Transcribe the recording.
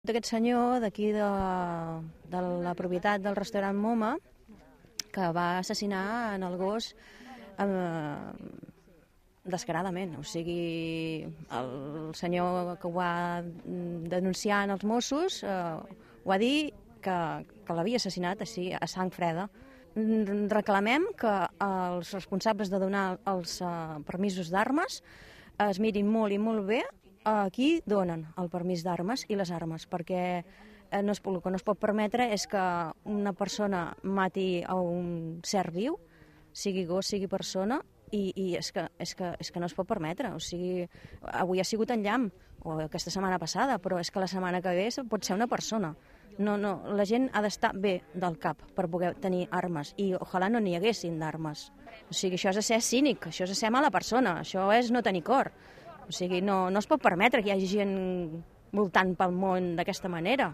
Aquest senyor d'aquí de la propietat del restaurant Moma, que va assassinar en el gos descaradament. O sigui, el senyor que ho va denunciar en els Mossos ho va dir que l'havia assassinat així, a sang freda. Reclamem que els responsables de donar els permisos d'armes es mirin molt i molt bé a qui donen el permís d'armes i les armes, perquè el que no es pot permetre és que una persona mati a un ser viu, sigui gos, sigui persona, i és que no es pot permetre. O sigui, avui ha sigut en llamp, o aquesta setmana passada, però és que la setmana que ve pot ser una persona. No, la gent ha d'estar bé del cap per poder tenir armes, i ojalà no n'hi haguessin d'armes. O sigui, això és ser cínic, això és ser mala persona, això és no tenir cor. O sigui, no es pot permetre que hi hagi gent voltant pel món d'aquesta manera.